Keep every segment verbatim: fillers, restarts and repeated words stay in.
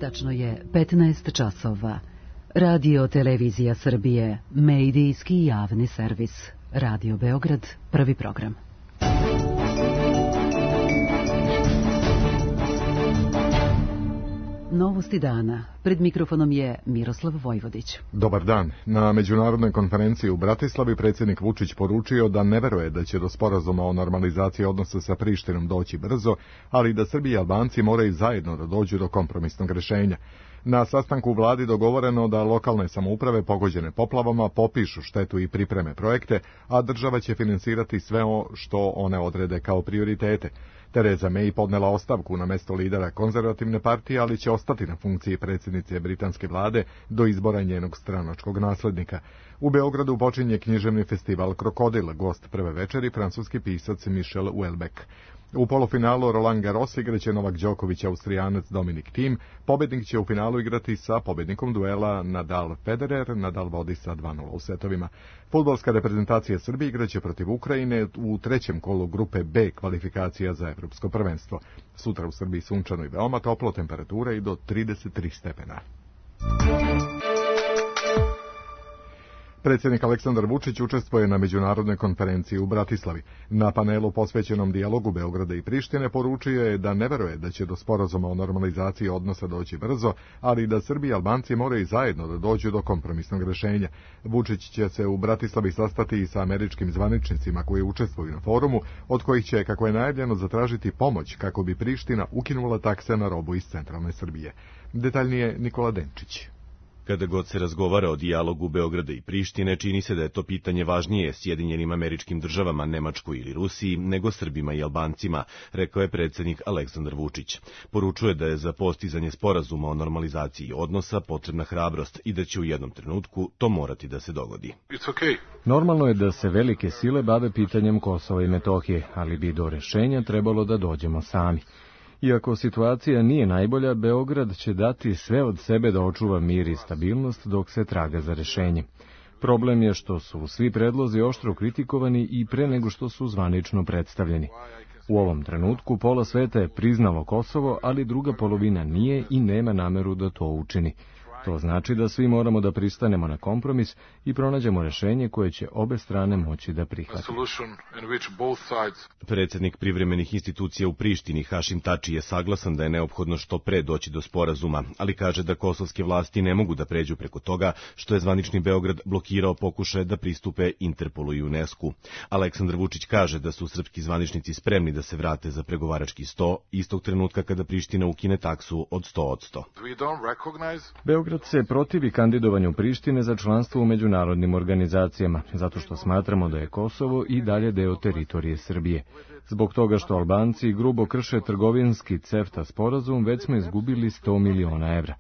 Tačno je petnaest časova. Radio Televizija Srbije, medijski javni servis. Radio Beograd, prvi program. Novosti dana. Pred mikrofonom je Miroslav Vojvodić. Dobar dan. Na međunarodnoj konferenciji u Bratislavi predsjednik Vučić poručio da ne veruje da će do sporazuma o normalizaciji odnosa sa Prištinom doći brzo, ali da Srbi i Albanci moraju zajedno da dođu do kompromisnog rješenja. Na sastanku u vladi dogovoreno da lokalne samouprave pogođene poplavama popišu štetu i pripreme projekte, a država će finansirati sve o što one odrede kao prioritete. Theresa May podnela ostavku na mesto lidera konzervativne partije, ali će ostati na funkciji predsjednice britanske vlade do izbora njenog stranačkog naslednika. U Beogradu počinje književni festival Krokodil, gost prve večeri francuski pisac Michel Houellebecq. U polufinalu Roland Garros igraće Novak Đoković, Austrijanac Dominik Thiem. Pobednik će u finalu igrati sa pobednikom duela Nadal-Federer. Nadal vodi sa dva nula u setovima. Fudbalska reprezentacija Srbije igraće protiv Ukrajine u trećem kolu grupe B kvalifikacija za evropsko prvenstvo. Sutra u Srbiji sunčano i veoma toplo, temperatura i do trideset tri stepena. Predsjednik Aleksandar Vučić učestvuje na međunarodnoj konferenciji u Bratislavi. Na panelu posvećenom dijalogu Beograda i Prištine poručio je da ne veruje da će do sporazuma o normalizaciji odnosa doći brzo, ali da Srbi i Albanci moraju zajedno da dođu do kompromisnog rješenja. Vučić će se u Bratislavi sastati i sa američkim zvaničnicima koji učestvuju na forumu, od kojih će, kako je najavljeno, zatražiti pomoć kako bi Priština ukinula takse na robu iz centralne Srbije. Detaljnije Nikola Denčić. Kada god se razgovara o dijalogu Beograda i Prištine, čini se da je to pitanje važnije Sjedinjenim Američkim Državama, Nemačkoj ili Rusiji, nego Srbima i Albancima, rekao je predsjednik Aleksandar Vučić. Poručuje da je za postizanje sporazuma o normalizaciji odnosa potrebna hrabrost i da će u jednom trenutku to morati da se dogodi. Okay. Normalno je da se velike sile bave pitanjem Kosova i Metohije, ali bi do rešenja trebalo da dođemo sami. Iako situacija nije najbolja, Beograd će dati sve od sebe da očuva mir i stabilnost dok se traga za rešenje. Problem je što su svi predlozi oštro kritikovani i pre nego što su zvanično predstavljeni. U ovom trenutku pola sveta je priznalo Kosovo, ali druga polovina nije i nema nameru da to učini. To znači da svi moramo da pristanemo na kompromis i pronađemo rešenje koje će obe strane moći da prihvate. Predsjednik privremenih institucija u Prištini Hašim Tači je saglasan da je neophodno što pre doći do sporazuma, ali kaže da kosovske vlasti ne mogu da pređu preko toga što je zvanični Beograd blokirao pokušaje da pristupe Interpolu i UNESCO. Aleksandar Vučić kaže da su srpski zvaničnici spremni da se vrate za pregovarački sto istog trenutka kada Priština ukine taksu od sto posto. Beograd se protivi kandidovanju Prištine za članstvo u međunarodnim organizacijama, zato što smatramo da je Kosovo i dalje deo teritorije Srbije. Zbog toga što Albanci grubo krše trgovinski CEFTA sporazum, već smo izgubili sto miliona evra.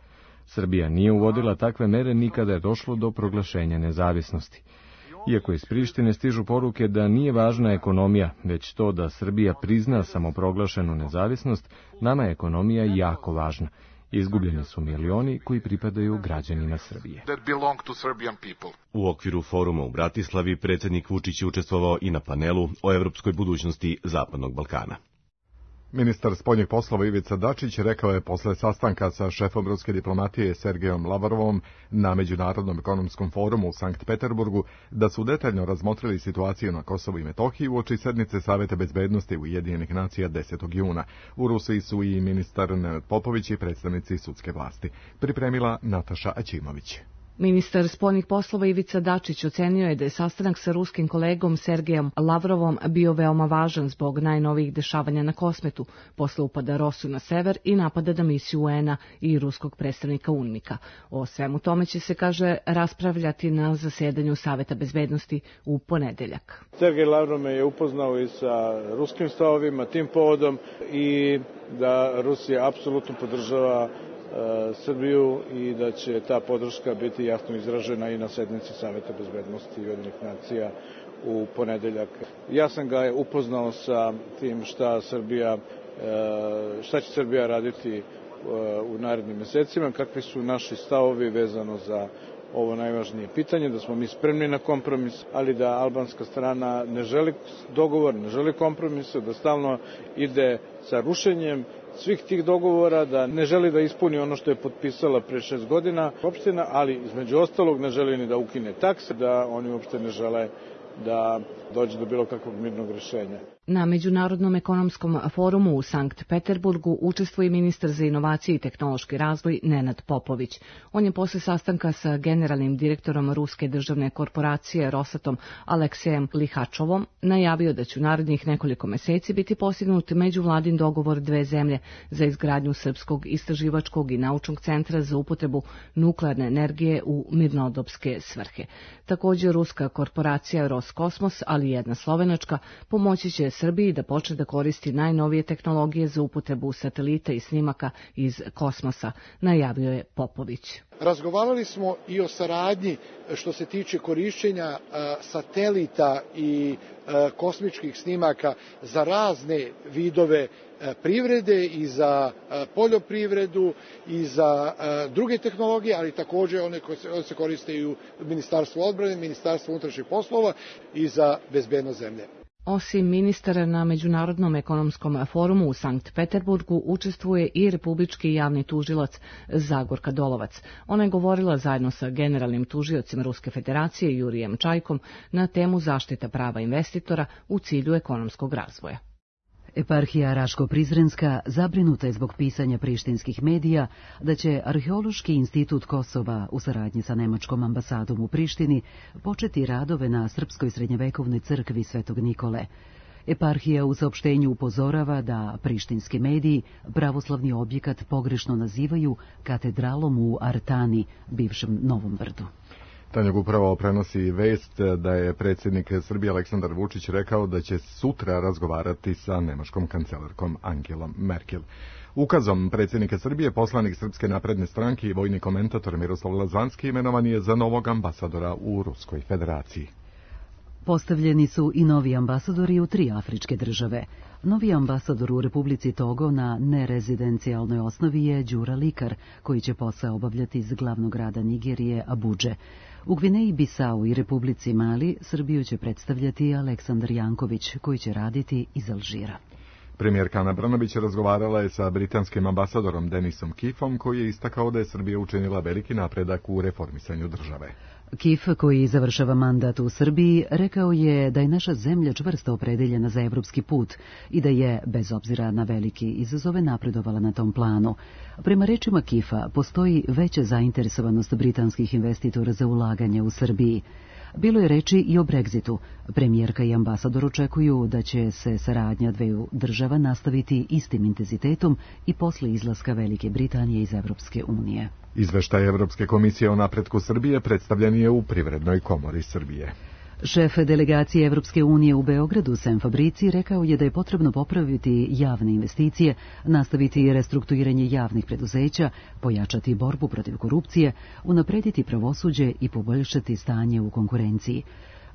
Srbija nije uvodila takve mere nikada je došlo do proglašenja nezavisnosti. Iako iz Prištine stižu poruke da nije važna ekonomija, već to da Srbija prizna samoproglašenu nezavisnost, nama je ekonomija jako važna. Izgubljeni su milioni koji pripadaju građanima Srbije. U okviru foruma u Bratislavi predsjednik Vučić je učestvovao i na panelu o evropskoj budućnosti Zapadnog Balkana. Ministar spoljnih poslova Ivica Dačić rekao je posle sastanka sa šefom ruske diplomatije Sergejom Lavrovom na Međunarodnom ekonomskom forumu u Sankt Peterburgu da su detaljno razmotrili situaciju na Kosovu i Metohiji uoči sednice Saveta bezbednosti Ujedinjenih nacija desetog juna. U Rusiji su i ministar Nenad Popović i predstavnici sudske vlasti. Pripremila Nataša Aćimović. Ministar spoljnih poslova Ivica Dačić ocenio je da je sastanak sa ruskim kolegom Sergejom Lavrovom bio veoma važan zbog najnovijih dešavanja na Kosmetu, posle upada Rosu na sever i napada na misiju U N-a i ruskog predstavnika UNMIK-a. O svemu tome će se, kaže, raspravljati na zasedanju Saveta bezbednosti u ponedeljak. Sergej Lavrov me je upoznao i sa ruskim stavovima tim povodom i da Rusija apsolutno podržava Srbiju i da će ta podrška biti jasno izražena i na sednici Saveta bezbednosti Ujedinjenih nacija u ponedeljak. Ja sam ga upoznao sa tim šta Srbija, šta će Srbija raditi u narednim mesecima, kakvi su naši stavovi vezano za ovo najvažnije pitanje, da smo mi spremni na kompromis, ali da albanska strana ne želi dogovor, ne želi kompromise, da stalno ide sa rušenjem svih tih dogovora, da ne želi da ispuni ono što je potpisala pre šest godina opština, ali između ostalog ne želi ni da ukine takse, da oni uopšte ne žele da dođe do bilo kakvog mirnog rješenja. Na Međunarodnom ekonomskom forumu u Sankt Peterburgu učestvuje ministar za inovacije i tehnološki razvoj Nenad Popović. On je posle sastanka sa generalnim direktorom Ruske državne korporacije Rosatom Aleksejem Lihačovom najavio da će u narednih nekoliko meseci biti postignut međuvladin dogovor dve zemlje za izgradnju Srpskog istraživačkog i naučnog centra za upotrebu nuklearne energije u mirnodopske svrhe. Također, ruska korporacija Roskosmos, ali i jedna slovenačka, pomoći će Srbiji da počne da koristi najnovije tehnologije za upotrebu satelita i snimaka iz kosmosa, najavio je Popović. Razgovarali smo i o saradnji što se tiče korišćenja satelita i kosmičkih snimaka za razne vidove privrede i za poljoprivredu i za druge tehnologije, ali također one koje se koriste i u Ministarstvu odbrane, Ministarstvu unutrašnjih poslova i za bezbednost zemlje. Osim ministara na Međunarodnom ekonomskom forumu u Sankt Peterburgu učestvuje i republički javni tužilac Zagorka Dolovac. Ona je govorila zajedno sa generalnim tužiocem Ruske federacije Jurijem Čajkom na temu zaštita prava investitora u cilju ekonomskog razvoja. Eparhija Raško-Prizrenska zabrinuta je zbog pisanja prištinskih medija da će Arheološki institut Kosova u saradnji sa nemačkom ambasadom u Prištini početi radove na srpskoj srednjevekovnoj crkvi Svetog Nikole. Eparhija u saopštenju upozorava da prištinski mediji pravoslavni objekat pogrešno nazivaju katedralom u Artani, bivšem Novom Brdu. Tanjug upravo prenosi vest da je predsjednik Srbije Aleksandar Vučić rekao da će sutra razgovarati sa nemačkom kancelarkom Angelom Merkel. Ukazom predsjednika Srbije poslanik Srpske napredne stranke i vojni komentator Miroslav Lazanski imenovan je za novog ambasadora u Ruskoj federaciji. Postavljeni su i novi ambasadori u tri afričke države. Novi ambasador u Republici Togo na nerezidencijalnoj osnovi je Đura Likar, koji će posao obavljati iz glavnog grada Nigerije, Abudže. U Gvineji Bisau i Republici Mali Srbiju će predstavljati Aleksandar Janković, koji će raditi iz Alžira. Premijerka Ana Brnabić razgovarala je sa britanskim ambasadorom Denisom Keefom, koji je istakao da je Srbija učinila veliki napredak u reformisanju države. Keef, koji završava mandat u Srbiji, rekao je da je naša zemlja čvrsto opredeljena za evropski put i da je, bez obzira na veliki izazove, napredovala na tom planu. Prema rečima Keefa, postoji veća zainteresovanost britanskih investitora za ulaganje u Srbiji. Bilo je reči i o Brexitu. Premijerka i ambasador očekuju da će se saradnja dveju država nastaviti istim intenzitetom i posle izlaska Velike Britanije iz Evropske unije. Izveštaj Evropske komisije o napretku Srbije predstavljen je u Privrednoj komori Srbije. Šef delegacije Evropske unije u Beogradu, Sem Fabrici, rekao je da je potrebno popraviti javne investicije, nastaviti restrukturiranje javnih preduzeća, pojačati borbu protiv korupcije, unaprediti pravosuđe i poboljšati stanje u konkurenciji.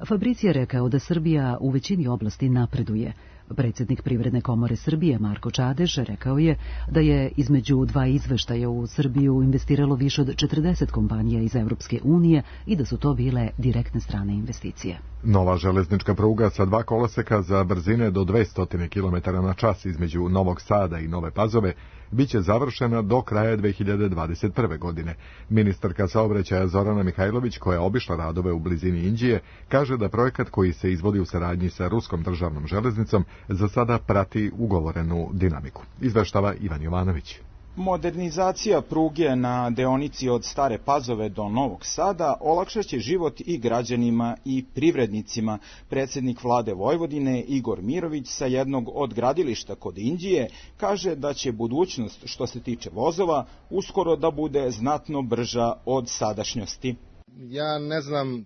Fabrici je rekao da Srbija u većini oblasti napreduje. Predsjednik Privredne komore Srbije, Marko Čadež, rekao je da je između dva izveštaja u Srbiju investiralo više od četrdeset kompanija iz Evropske unije i da su to bile direktne strane investicije. Nova železnička pruga sa dva koloseka za brzine do dvesta kilometara na čas između Novog Sada i Nove Pazove biće završena do kraja dve hiljade dvadeset prve. godine. Ministarka saobraćaja Zorana Mihajlović, koja je obišla radove u blizini Inđije, kaže da projekat koji se izvodi u saradnji sa Ruskom državnom železnicom za sada prati ugovorenu dinamiku. Izveštava Ivan Jovanović. Modernizacija pruge na deonici od Stare Pazove do Novog Sada olakšaće život i građanima i privrednicima. Predsjednik vlade Vojvodine Igor Mirović sa jednog od gradilišta kod Inđije kaže da će budućnost što se tiče vozova uskoro da bude znatno brža od sadašnjosti. Ja ne znam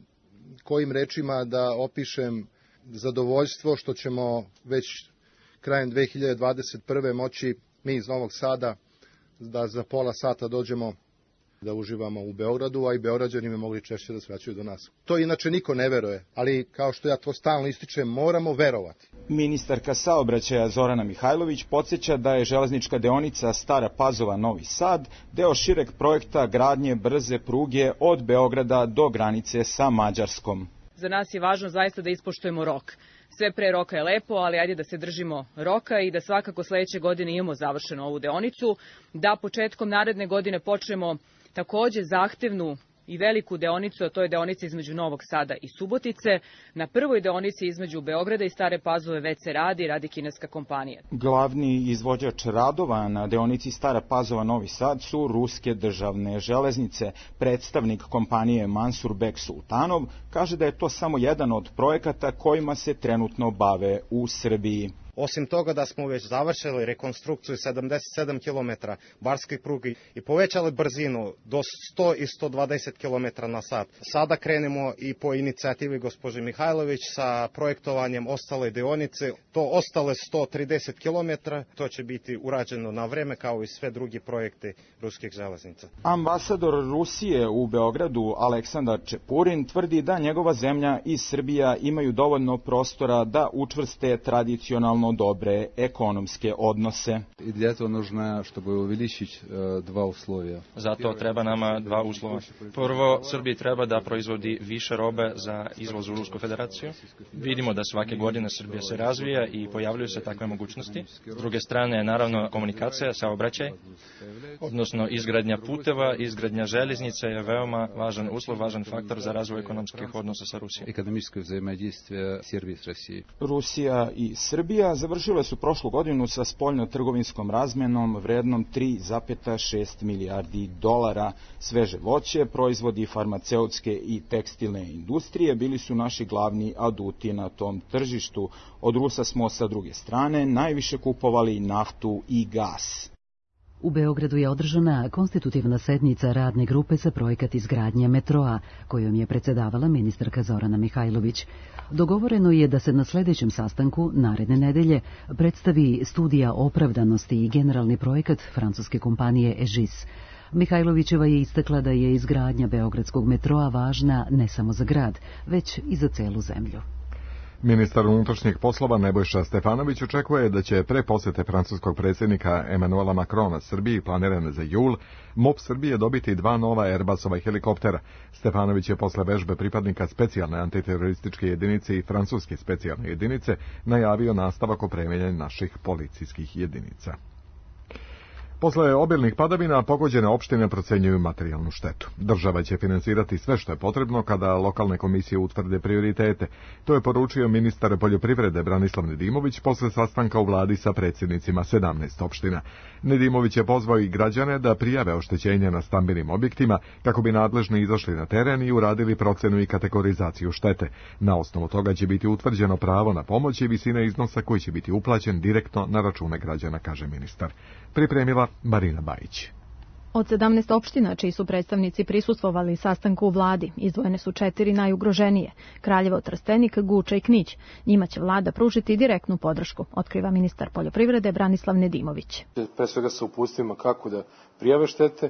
kojim rečima da opišem zadovoljstvo što ćemo već krajem dve hiljade dvadeset prve. moći mi iz Novog Sada da za pola sata dođemo da uživamo u Beogradu, a i Beograđani bi mogli češće da svraćaju do nas. To inače niko ne veruje, ali kao što ja to stalno ističem, moramo verovati. Ministarka saobraćaja Zorana Mihajlović podsjeća da je železnička deonica Stara Pazova-Novi Sad deo šireg projekta gradnje brze pruge od Beograda do granice sa Mađarskom. Za nas je važno zaista da ispoštujemo rok. sve pre roka je lepo, ali ajde da se držimo roka i da svakako sledeće godine imamo završenu ovu deonicu, da početkom naredne godine počnemo takođe zahtevnu i veliku deonicu, a to je deonica između Novog Sada i Subotice. Na prvoj deonici između Beograda i Stare Pazove već se radi, radi kineska kompanija. Glavni izvođač radova na deonici Stara Pazova Novi Sad su ruske državne železnice. Predstavnik kompanije Mansur Bek Sultanov kaže da je to samo jedan od projekata kojima se trenutno bave u Srbiji. Osim toga da smo već završili rekonstrukciju sedamdeset sedam kilometara barske pruge i povećali brzinu do sto i sto dvadeset kilometara na sat. Sada krenemo i po inicijativi gospođe Mihajlović sa projektovanjem ostale deonice. To ostale sto trideset kilometara, to će biti urađeno na vreme kao i sve drugi projekte ruskih železnica. Ambasador Rusije u Beogradu Aleksandar Čepurin tvrdi da njegova zemlja i Srbija imaju dovoljno prostora da učvrste tradicionalno dobre ekonomske odnose. I для этого нужно, чтобы увеличить два условия. Zato treba nama dva uslova. Prvo, Srbiji treba da proizvodi više robe za izvoz u Rusku federaciju. Vidimo da svake godine Srbija se razvija i pojavljuju se takve mogućnosti. S druge strane, naravno, komunikacija, saobraćaj, odnosno izgradnja puteva, izgradnja železnice je veoma važan uslov, važan faktor za razvoj ekonomskih odnosa sa Rusijom. Ekonomsko взаимодействие Srbije s Rusijom. Rusija i Srbija završile su prošlu godinu sa spoljno-trgovinskom razmenom vrednom tri zarez šest milijardi dolara. Sveže voće, proizvodi farmaceutske i tekstilne industrije bili su naši glavni aduti na tom tržištu. Od Rusa smo sa druge strane najviše kupovali naftu i gas. U Beogradu je održana konstitutivna sednica radne grupe za projekat izgradnje metroa, kojom je predsedavala ministarka Zorana Mihajlović. Dogovoreno je da se na sledećem sastanku, naredne nedelje, predstavi studija opravdanosti i generalni projekat francuske kompanije Egis. Mihajlovićeva je istakla da je izgradnja beogradskog metroa važna ne samo za grad, već i za celu zemlju. Ministar unutrašnjih poslova Nebojša Stefanović očekuje da će pre posete francuskog predsjednika Emanuela Macrona Srbiji planirane za jul, MUP Srbije dobiti dva nova Airbusova helikoptera. Stefanović je posle vežbe pripadnika specijalne antiterorističke jedinice i francuske specijalne jedinice najavio nastavak opremanja naših policijskih jedinica. Posle obilnih padavina pogođene opštine procenjuju materijalnu štetu. Država će finansirati sve što je potrebno kada lokalne komisije utvrde prioritete. To je poručio ministar poljoprivrede Branislav Nedimović posle sastanka u vladi sa predsjednicima sedamnaest opština. Nedimović je pozvao i građane da prijave oštećenja na stambenim objektima kako bi nadležni izašli na teren i uradili procenu i kategorizaciju štete. Na osnovu toga će biti utvrđeno pravo na pomoć i visina iznosa koji će biti uplaćen direktno na račune građana, kaže ministar. Pripremila Marina Bajić. Od sedamnaest opština čiji su predstavnici prisustvovali sastanku u vladi, izdvojene su četiri najugroženije: Kraljevo, Trstenik, Guča i Knić. Njima će vlada pružiti direktnu podršku, otkriva ministar poljoprivrede Branislav Nedimović. Pre svega sa upustvima kako da prijave štete,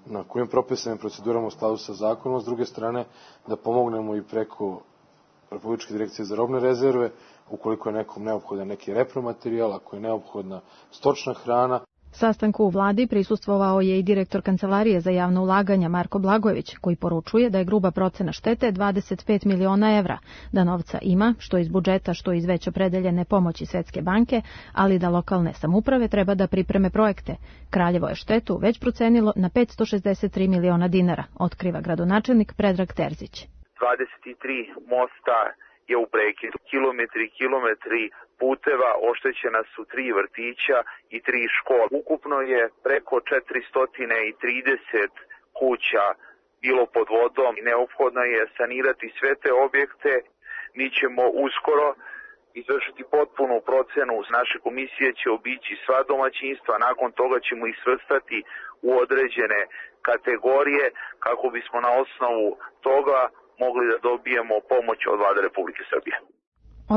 na kojim propisanim procedurama u skladu sa zakonom, s druge strane da pomognemo i preko Republičke direkcije za robne rezerve, ukoliko je nekom neophodan neki repromaterijal, ako je neophodna stočna hrana. Sastanku u vladi prisustvovao je i direktor Kancelarije za javno ulaganja Marko Blagojević, koji poručuje da je gruba procena štete dvadeset pet miliona evra, da novca ima, što iz budžeta, što iz već opredeljene pomoći Svetske banke, ali da lokalne samouprave treba da pripreme projekte. Kraljevo je štetu već procenilo na petsto šezdeset tri miliona dinara, otkriva gradonačelnik Predrag Terzić. dvadeset tri mosta je u prekidu. Kilometri i kilometri puteva, oštećena su tri vrtića i tri škole. Ukupno je preko četiristo trideset kuća bilo pod vodom i neophodno je sanirati sve te objekte. Mi ćemo uskoro izvršiti potpunu procenu. Naše komisije će obići sva domaćinstva, nakon toga ćemo ih svrstati u određene kategorije kako bismo na osnovu toga mogli da dobijemo pomoć od Vlade Republike Srbije.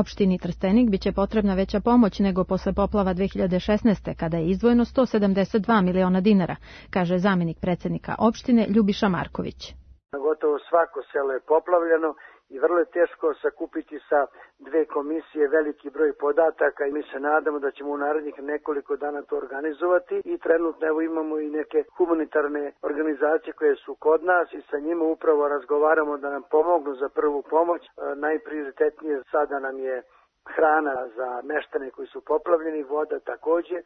Opštini Trstenik biće potrebna veća pomoć nego posle poplava dve hiljade šesnaeste. kada je izdvojeno sto sedamdeset dva miliona dinara, kaže zamenik predsednika opštine Ljubiša Marković. Gotovo svako selo je poplavljeno i vrlo je teško sakupiti sa dve komisije veliki broj podataka i mi se nadamo da ćemo u narednih nekoliko dana to organizovati i trenutno evo imamo i neke humanitarne organizacije koje su kod nas i sa njima upravo razgovaramo da nam pomognu za prvu pomoć. Najprioritetnije sada nam je hrana za meštane koji su poplavljeni, voda takođe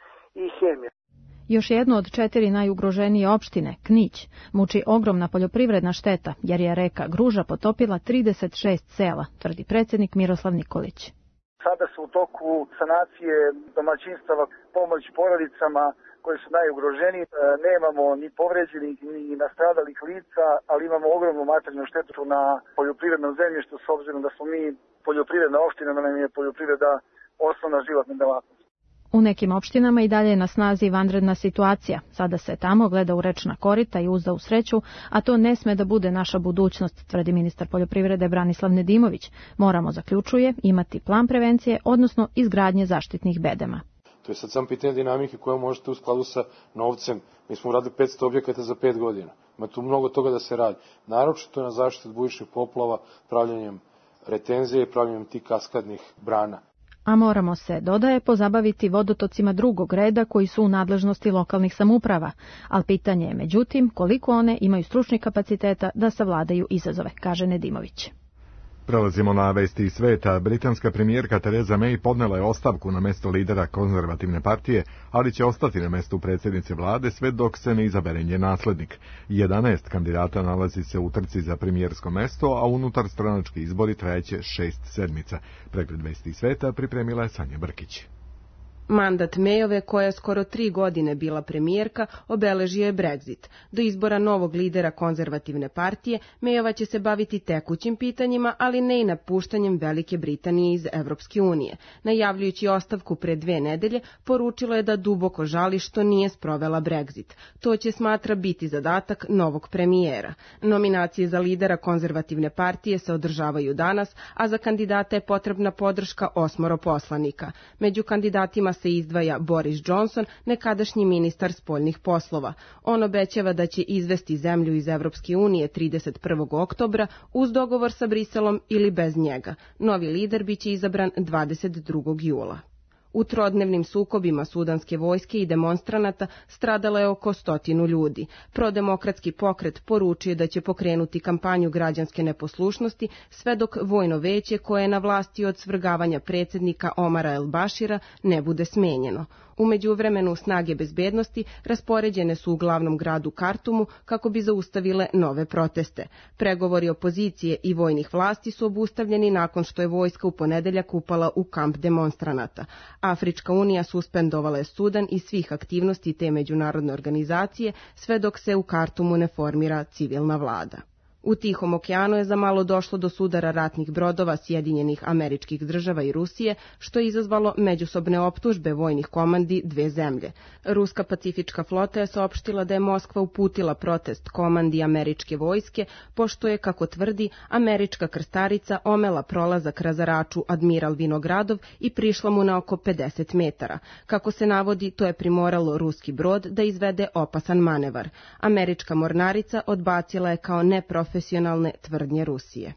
i hemija. Još jedno od četiri najugroženije opštine, Knić, muči ogromna poljoprivredna šteta, jer je reka Gruža potopila trideset šest sela, tvrdi predsjednik Miroslav Nikolić. Sada su u toku sanacije domaćinstava, pomoć porodicama koji su najugroženiji. Nemamo ni povređenih ni nastradalih lica, ali imamo ogromnu materijalnu štetu na poljoprivrednom zemljištu, s obzirom da smo mi poljoprivredna opština, da nam je poljoprivreda osnovna životna delatnost. U nekim opštinama i dalje je na snazi vanredna situacija. Sada se tamo gleda u rečna korita i uzda u sreću, a to ne sme da bude naša budućnost, tvrdi ministar poljoprivrede Branislav Nedimović. Moramo, zaključuje, imati plan prevencije, odnosno izgradnje zaštitnih bedema. To je sad sam pitanje dinamike koja možete u skladu sa novcem. Mi smo uradili petsto objekata za pet godina. Ima tu mnogo toga da se radi. Naročito na zaštitu od bujičnih poplava, pravljenjem retenzije i pravljenjem tih kaskadnih brana. A moramo se, dodaje, pozabaviti vodotocima drugog reda koji su u nadležnosti lokalnih samouprava. Ali pitanje je, međutim, koliko one imaju stručnih kapaciteta da savladaju izazove, kaže Nedimović. Prelazimo na vesti iz sveta. Britanska premijerka Theresa May podnela je ostavku na mesto lidera konzervativne partije, ali će ostati na mestu predsjednice vlade sve dok se ne izabere njen naslednik. jedanaest kandidata nalazi se u trci za premijersko mesto, a unutar stranački izbori trajeće šest sedmica. Pregled vesti iz sveta pripremila je Sanja Brkić. Mandat Mayove, koja je skoro tri godine bila premijerka, obeležio je Brexit. Do izbora novog lidera konzervativne partije, Mayova će se baviti tekućim pitanjima, ali ne i napuštanjem Velike Britanije iz Evropske unije. Najavljujući ostavku pre dve nedelje, poručilo je da duboko žali što nije sprovela Brexit. To će, smatra, biti zadatak novog premijera. Nominacije za lidera konzervativne partije se održavaju danas, a za kandidata je potrebna podrška osmoro poslanika. Među kandidatima se izdvaja Boris Johnson, nekadašnji ministar spoljnih poslova. On obećava da će izvesti zemlju iz Evropske unije trideset prvog oktobra uz dogovor sa Briselom ili bez njega. Novi lider biće izabran dvadeset drugog jula. U trodnevnim sukobima sudanske vojske i demonstranata stradalo je oko stotinu ljudi. Prodemokratski pokret poručuje da će pokrenuti kampanju građanske neposlušnosti sve dok vojno veće koje je na vlasti od svrgavanja predsjednika Omara El Bašira ne bude smenjeno. U međuvremenu snage bezbednosti raspoređene su u glavnom gradu Kartumu kako bi zaustavile nove proteste. Pregovori opozicije i vojnih vlasti su obustavljeni nakon što je vojska u ponedeljak upala u kamp demonstranata. Afrička unija suspendovala je Sudan i svih aktivnosti te međunarodne organizacije sve dok se u Kartumu ne formira civilna vlada. U Tihom okeanu je za malo došlo do sudara ratnih brodova Sjedinjenih Američkih Država i Rusije, što je izazvalo međusobne optužbe vojnih komandi dve zemlje. Ruska pacifička flota je saopštila da je Moskva uputila protest komandi američke vojske, pošto je, kako tvrdi, američka krstarica omela prolazak razaraču Admiral Vinogradov i prišla mu na oko pedeset metara. Kako se navodi, to je primoralo ruski brod da izvede opasan manevar. Američka mornarica odbacila je kao neprofesionalna profesionalne tvrdnje Rusije.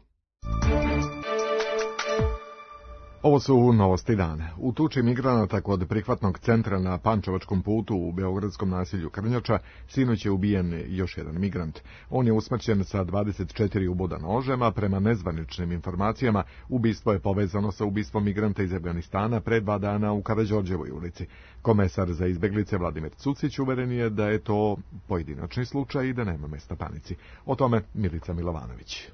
Ovo su novosti dana. U tuči migranata kod prihvatnog centra na Pančevačkom putu u beogradskom naselju Krnjača sinoć je ubijen još jedan migrant. On je usmrćen sa dvadeset četiri uboda nožem, a prema nezvaničnim informacijama ubistvo je povezano sa ubistvom migranta iz Afganistana pre dva dana u Karađorđevoj ulici. Komesar za izbeglice Vladimir Cucić uveren je da je to pojedinačni slučaj i da nema mesta panici. O tome Milica Milovanović.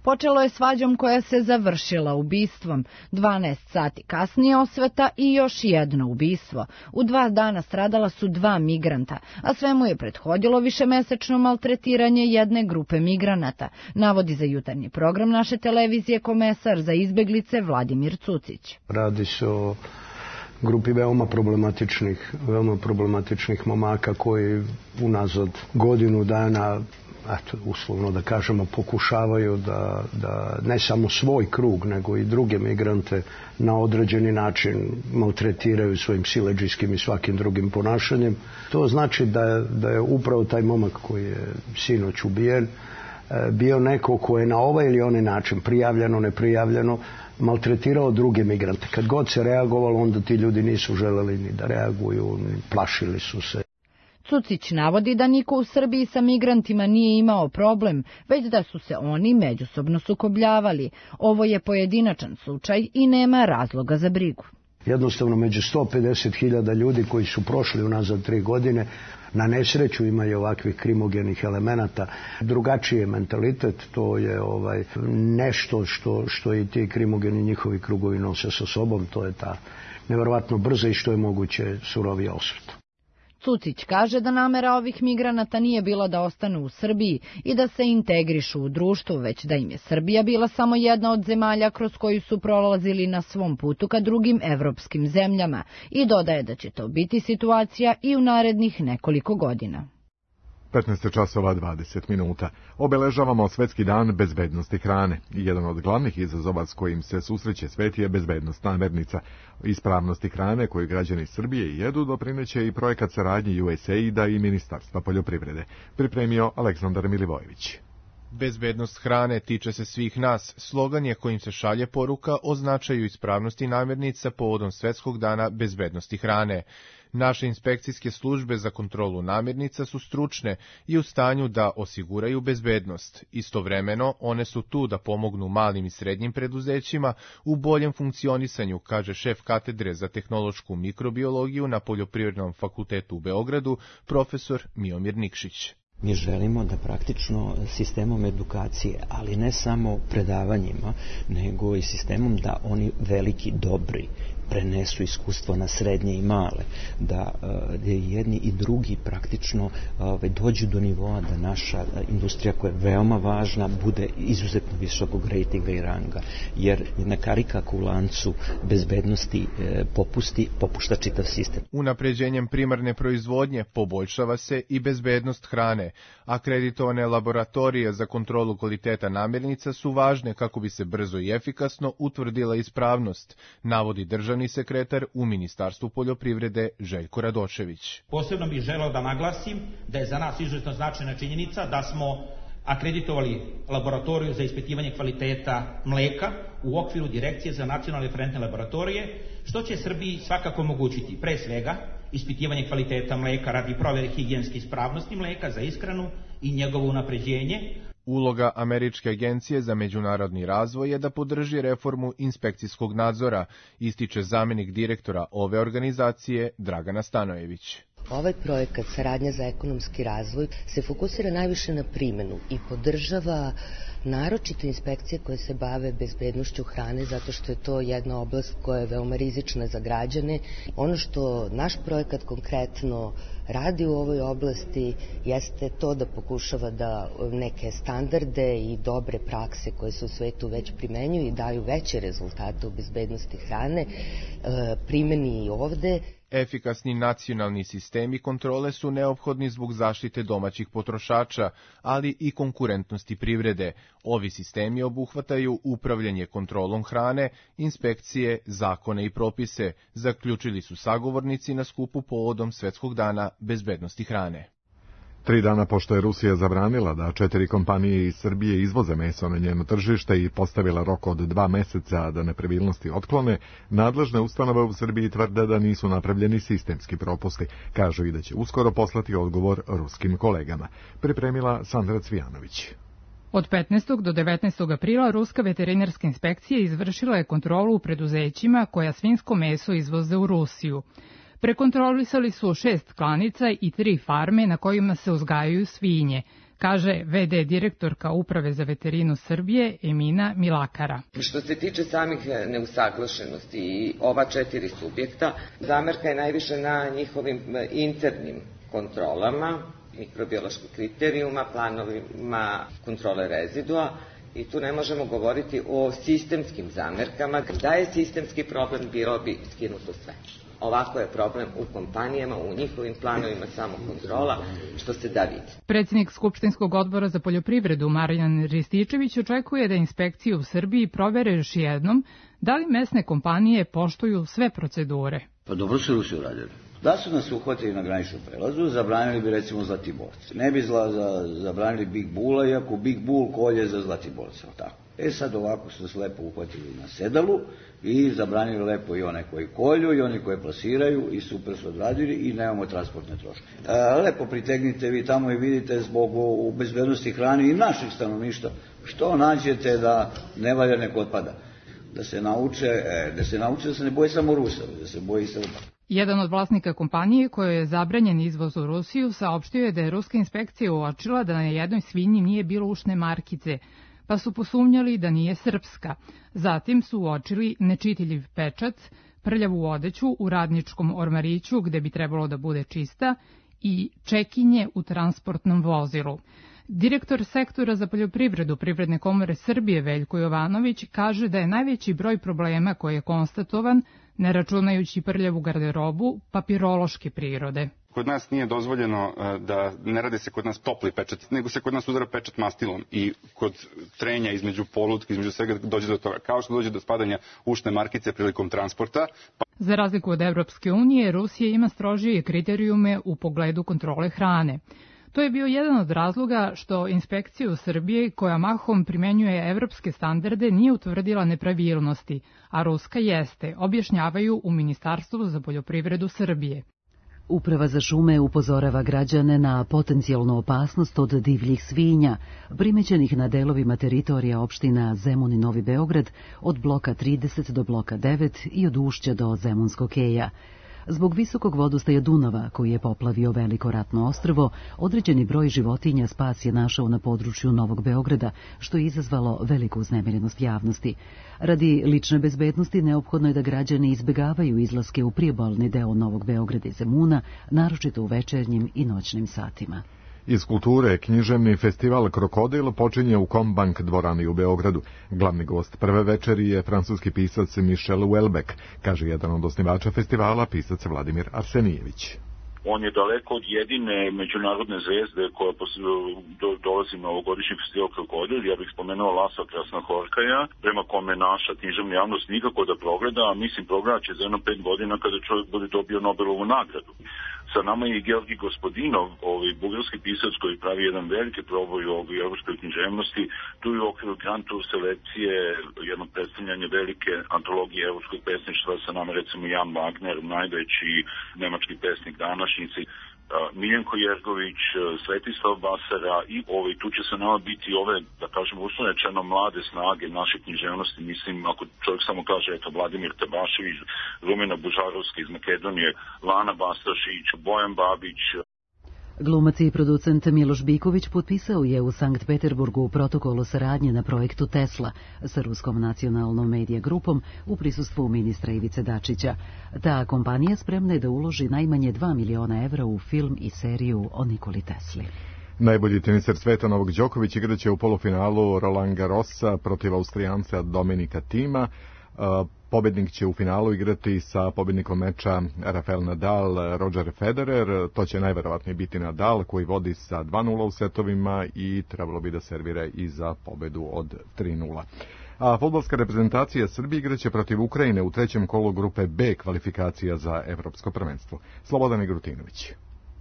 Počelo je svađom koja se završila ubistvom. dvanaest sati kasnije osveta i još jedno ubistvo. U dva dana stradala su dva migranta, a svemu je prethodilo višemesečno maltretiranje jedne grupe migranata, navodi za jutarnji program naše televizije komesar za izbeglice Vladimir Cucić. Radi se o grupi veoma problematičnih, veoma problematičnih momaka koji unazad godinu dana, eto, uslovno da kažemo, pokušavaju da, da ne samo svoj krug, nego i druge migrante na određeni način maltretiraju svojim siledžijskim i svakim drugim ponašanjem. To znači da, da je upravo taj momak koji je sinoć ubijen bio neko ko je na ovaj ili onaj način, prijavljeno, neprijavljeno, maltretirao druge migrante. Kad god se reagovalo, onda ti ljudi nisu želeli ni da reaguju, ni plašili su se. Cucić navodi da niko u Srbiji sa migrantima nije imao problem, već da su se oni međusobno sukobljavali. Ovo je pojedinačan slučaj i nema razloga za brigu. Jednostavno, među sto pedeset hiljada ljudi koji su prošli unazad tri godine, na nesreću imaju ovakvih krimogenih elemenata. Drugačiji je mentalitet, to je ovaj nešto što, što i ti krimogeni njihovi krugovi nose sa sobom, to je ta nevjerovatno brza i što je moguće surovija osveta. Cucić kaže da namera ovih migranata nije bila da ostanu u Srbiji i da se integrišu u društvu, već da im je Srbija bila samo jedna od zemalja kroz koju su prolazili na svom putu ka drugim evropskim zemljama i dodaje da će to biti situacija i u narednih nekoliko godina. petnaest časova dvadeset minuta. Obeležavamo Svetski dan bezbednosti hrane. Jedan od glavnih izazova s kojim se susreće svet je bezbednost namirnica. Ispravnosti hrane koju građani Srbije jedu doprineće i projekat saradnje U S A I D-a i Ministarstva poljoprivrede. Pripremio Aleksandar Milivojević. Bezbednost hrane tiče se svih nas. Slogan je kojim se šalje poruka o značaju ispravnosti namirnica povodom Svetskog dana bezbednosti hrane. Naše inspekcijske službe za kontrolu namirnica su stručne i u stanju da osiguraju bezbednost. Istovremeno, one su tu da pomognu malim i srednjim preduzećima u boljem funkcionisanju, kaže šef katedre za tehnološku mikrobiologiju na Poljoprivrednom fakultetu u Beogradu, profesor Miomir Nikšić. Mi želimo da praktično sistemom edukacije, ali ne samo predavanjima, nego i sistemom da oni veliki, dobri, prenesu iskustvo na srednje i male, da jedni i drugi praktično dođu do nivoa da naša industrija koja je veoma važna bude izuzetno visokog rejtinga i ranga, jer jedna karika u lancu bezbednosti popusti, popušta čitav sistem. Unapređenjem primarne proizvodnje poboljšava se i bezbednost hrane. Akreditovane laboratorije za kontrolu kvaliteta namirnica su važne kako bi se brzo i efikasno utvrdila ispravnost, navodi državni sekretar u Ministarstvu poljoprivrede Željko Radošević. Posebno bih želeo da naglasim da je za nas izuzetno značajna činjenica da smo akreditovali laboratoriju za ispitivanje kvaliteta mleka u okviru Direkcije za nacionalne referentne laboratorije, što će Srbiji svakako omogućiti pre svega ispitivanje kvaliteta mleka radi provere higijenske ispravnosti mleka za ishranu i njegovo unapređenje. Uloga Američke agencije za međunarodni razvoj je da podrži reformu inspekcijskog nadzora, ističe zamjenik direktora ove organizacije Dragana Stanojević. Ovaj projekat Saradnja za ekonomski razvoj se fokusira najviše na primjenu i podržava naročito inspekcije koje se bave bezbednošću hrane, zato što je to jedna oblast koja je veoma rizična za građane. Ono što naš projekat konkretno radi u ovoj oblasti jeste to da pokušava da neke standarde i dobre prakse koje se u svetu već primenjuju i daju veće rezultate u bezbednosti hrane primeni i ovde. Efikasni nacionalni sistemi kontrole su neophodni zbog zaštite domaćih potrošača, ali i konkurentnosti privrede. Ovi sistemi obuhvataju upravljanje kontrolom hrane, inspekcije, zakone i propise, zaključili su sagovornici na skupu povodom Svetskog dana bezbednosti hrane. Tri dana pošto je Rusija zabranila da četiri kompanije iz Srbije izvoze meso na njeno tržište i postavila rok od dva meseca da nepravilnosti otklone, nadležne ustanove u Srbiji tvrde da nisu napravljeni sistemski propusti. Kažu i da će uskoro poslati odgovor ruskim kolegama. Pripremila Sandra Cvijanović. Od petnaestog do devetnaestog aprila Ruska veterinarska inspekcija izvršila je kontrolu u preduzećima koja svinjsko meso izvoze u Rusiju. Prekontrolisali su šest klanica i tri farme na kojima se uzgajaju svinje, kaže ve de direktorka Uprave za veterinu Srbije Emina Milakara. Što se tiče samih neusaglašenosti i ova četiri subjekta, zamerka je najviše na njihovim internim kontrolama, mikrobioloških kriterijuma, planovima kontrole rezidua, i tu ne možemo govoriti o sistemskim zamerkama. Da je sistemski problem, bilo bi skinuto sve. Ovako je problem u kompanijama, u njihovim planovima samo kontrola, što se da vidi. Predsjednik Skupštinskog odbora za poljoprivredu Marijan Rističević očekuje da inspekcije u Srbiji provere još jednom da li mesne kompanije poštuju sve procedure. Pa dobro su Rusi uradili. Da su nas uhvatili na graničnom prelazu, zabranili bi recimo Zlatiborce. Ne bi zla, za, zabranili Big Bulla, iako Big Bull kolje za Zlatiborce, tako. E sad ovako su se lepo uhvatili na sedalu i zabranili lepo i one koji kolju i oni koji plasiraju i super su odradili i nemamo transportne troške. E, lepo pritegnite vi tamo i vidite zbog u bezbednosti hrane i naših stanovništva što nađete da ne valja nek otpada. Da se nauče, da se nauče da se ne boje samo Rusa, da se boje i Srba. Jedan od vlasnika kompanije kojoj je zabranjen izvoz u Rusiju saopštio je da je ruska inspekcija uočila da na jednoj svinji nije bilo ušne markice, pa su posumnjali da nije srpska. Zatim su uočili nečitljiv pečat, prljavu odeću u radničkom ormariću gde bi trebalo da bude čista i čekinje u transportnom vozilu. Direktor sektora za poljoprivredu Privredne komore Srbije Veljko Jovanović kaže da je najveći broj problema koji je konstatovan, ne računajući prljavu garderobu, papirološke prirode. Kod nas nije dozvoljeno da ne radi se kod nas topli pečat, nego se kod nas udara pečat mastilom i kod trenja između polutke, između svega dođe do toga. Kao što dođe do spadanja ušne markice prilikom transporta. Pa... Za razliku od Evropske unije, Rusija ima strožije kriterijume u pogledu kontrole hrane. To je bio jedan od razloga što inspekcija u Srbiji, koja mahom primenjuje evropske standarde, nije utvrdila nepravilnosti, a ruska jeste, objašnjavaju u Ministarstvu za poljoprivredu Srbije. Uprava za šume upozorava građane na potencijalnu opasnost od divljih svinja, primećenih na delovima teritorija opština Zemun i Novi Beograd, od bloka trideset do bloka devet i od Ušća do Zemunskog keja. Zbog visokog vodostaja Dunava, koji je poplavio veliko ratno ostrvo, određeni broj životinja spas je našao na području Novog Beograda, što je izazvalo veliku uznemirenost javnosti. Radi lične bezbednosti neophodno je da građani izbegavaju izlaske u priobalni deo Novog Beograda i Zemuna, naročito u večernjim i noćnim satima. Iz kulture, književni festival Krokodil počinje u Kombank dvorani u Beogradu. Glavni gost prve večeri je francuski pisac Michel Houellebecq, kaže jedan od osnivača festivala, pisac Vladimir Arsenijević. On je daleko od jedine međunarodne zvezde koja do, dolazi na ovogodišnji festival Krokodil. Ja bih spomenuo Lasa Krasnohorkaja, prema kome naša književna javnost nikako da progleda, a mislim progleda će za jedno pet godina kada čovjek bude dobio Nobelovu nagradu. Sa nama je i Georgi Gospodinov, ovaj bugarski pisac koji pravi jedan veliki proboj u ovoj evropskoj književnosti. Tu je u okviru Grand Tour selekcije jedno predstavljanje velike antologije evropskog pesništva, sa nama recimo Jan Wagner, najveći nemački pesnik današnjici, Miljenko Jergović, Svetislav Basara i ovaj, tu će se nama biti ove, da kažemo, uslovno mlade snage naše književnosti. Mislim, ako čovjek samo kaže, eto, Vladimir Tabašević, Rumena Bužarovska iz Makedonije, Lana Bastašić, Bojan Babić. Glumac i producent Miloš Biković potpisao je u Sankt Peterburgu protokol o saradnji na projektu Tesla sa Ruskom nacionalnom medija grupom u prisustvu ministra Ivice Dačića. Ta kompanija spremna je da uloži najmanje dva miliona evra u film i seriju o Nikoli Tesli. Najbolji teniser sveta Novak Đoković igraće u polufinalu Roland Garrosa protiv Austrijanca Dominika Thima. Pobednik će u finalu igrati sa pobednikom meča Rafael Nadal, Roger Federer. To će najverovatnije biti Nadal koji vodi sa dva nula u setovima i trebalo bi da servira i za pobedu od tri nula. A fudbalska reprezentacija Srbije igraće protiv Ukrajine u trećem kolu grupe B kvalifikacija za evropsko prvenstvo. Slobodan Igrutinović.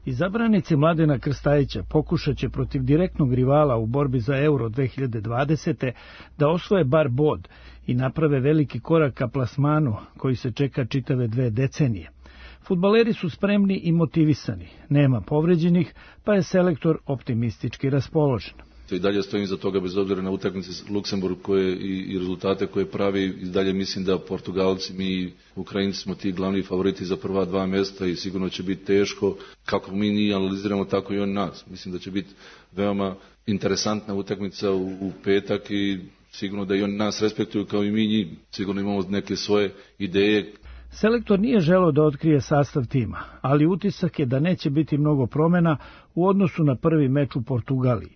Izabranici Mladena Krstajića pokušat će protiv direktnog rivala u borbi za Euro dve hiljade dvadesete da osvoje bar bod i naprave veliki korak ka plasmanu koji se čeka čitave dve decenije. Fudbaleri su spremni i motivisani, nema povređenih, pa je selektor optimistički raspoložen. I dalje stojim za toga bez obzira na utakmice Luksemburg koje i, i rezultate koje pravi. I dalje mislim da Portugalci, mi Ukrajinci smo ti glavni favoriti za prva dva mjesta i sigurno će biti teško. Kako mi njih analiziramo, tako i on nas. Mislim da će biti veoma interesantna utakmica u, u petak i sigurno da i on nas respektuju kao i mi njih. Sigurno imamo neke svoje ideje. Selektor nije želeo da otkrije sastav tima, ali utisak je da neće biti mnogo promjena u odnosu na prvi meč u Portugaliji.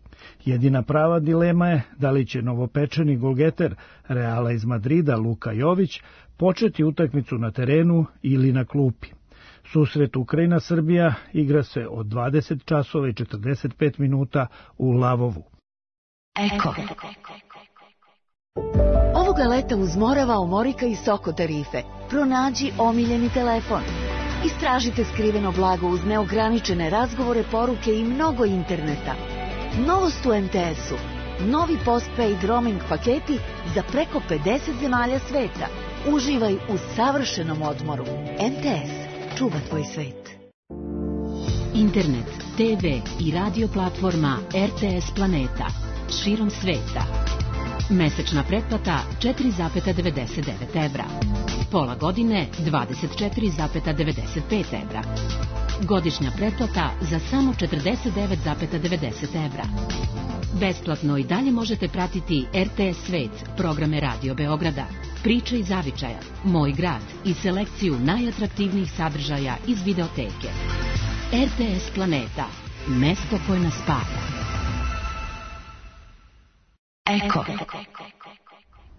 Jedina prava dilema je da li će novopečeni golgeter Reala iz Madrida Luka Jović početi utakmicu na terenu ili na klupi. Susret Ukrajina-Srbija igra se od dvadeset časova i četrdeset pet minuta u Lavovu. Eko. Ovoga leta uz Morava, Omorika i Soko tarife. Pronađi omiljeni telefon. Istražite skriveno blago uz neograničene razgovore, poruke i mnogo interneta. Novost u em te esu. Novi postpaid roaming paketi za preko pedeset zemalja sveta. Uživaj u savršenom odmoru. em te es. Čuva tvoj svet. Internet, te ve i radio platforma er te es Planeta. Širom sveta. Mesečna pretplata četiri zarez devedeset devet evra. Pola godine dvadeset četiri zarez devedeset pet evra. Godišnja pretplata za samo četrdeset devet zarez devedeset evra. Besplatno i dalje možete pratiti er te es Svet, programe Radio Beograda, Priče iz zavičaja, Moj grad i selekciju najatraktivnijih sadržaja iz videoteke. er te es Planeta, mesto koje nas spaja. Eko.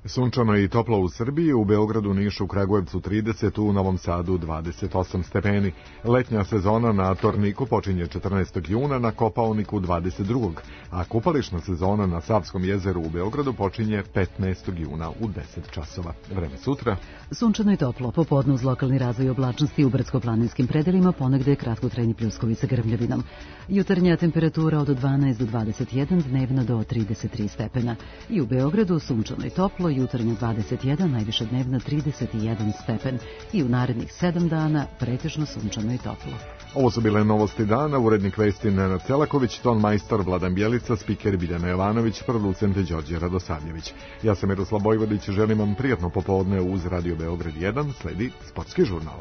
Sunčano i toplo u Srbiji, u Beogradu, Nišu, Kragujevcu trideset, u Novom Sadu dvadeset osam stepeni. Letnja sezona na Torniku počinje četrnaestog juna, na Kopaoniku dvadeset drugog a kupališna sezona na Savskom jezeru u Beogradu počinje petnaestog juna u deset časova. Vreme sutra. Sunčano i toplo, popodne uz lokalni razvoj oblačnosti u brdsko-planinskim predelima, ponegde kratkotrajni pljuskovi sa grmljavinom. Jutarnja temperatura od dvanaest do dvadeset jedan, dnevna do trideset tri stepena. I u Beogradu sunčano i toplo, jutarnja dvadeset jedan, najviša dnevna trideset jedan stepen. I u narednih sedam dana pretežno sunčano i toplo. Ovo su bile novosti dana, urednik vesti Nenad Celaković, ton majstor Vladan Bjelica, spiker Biljana Jovanović, producent Đorđe Radosavljević. Ja sam Miroslav Bojvodić, želim vam prijatno popodne uz Radio Beograd jedan, sledi Sportski žurnal.